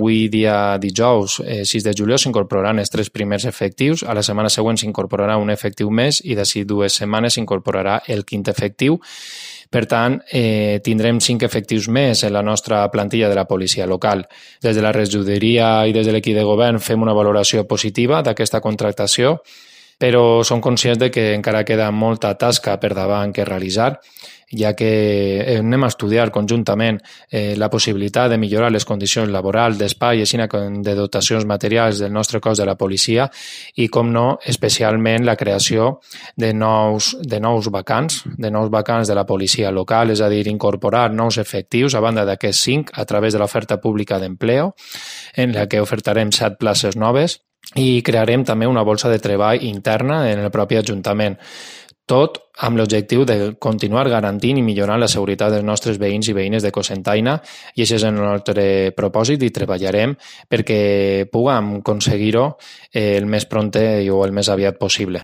Avui, dia dijous, 6 de juliol, s'incorporaran els 3 primers efectius. A la setmana següent s'incorporarà un efectiu més i d'ací 2 setmanes s'incorporarà el 5è efectiu. Per tant, tindrem 5 efectius més en la nostra plantilla de la policia local. Des de la regidoria i des de l'equip de govern fem una valoració positiva d'aquesta contractació, però som conscients de que encara queda molta tasca per davant que realitzar, ja que anem a estudiar conjuntament la possibilitat de millorar les condicions laborals, d'espai i de dotacions materials del nostre cos de la policia i, com no, especialment la creació de nous vacants de la policia local, és a dir, incorporar nous efectius a banda d'aquests 5 a través de l'oferta pública d'empleo, en la que ofertarem 7 places noves i crearem també una bolsa de treball interna en el propi Ajuntament. Tot amb l'objectiu de continuar garantint i millorant la seguretat dels nostres veïns i veïnes de Cocentaina, i això és el nostre propòsit i treballarem perquè puguem aconseguir-ho el més pront o el més aviat possible.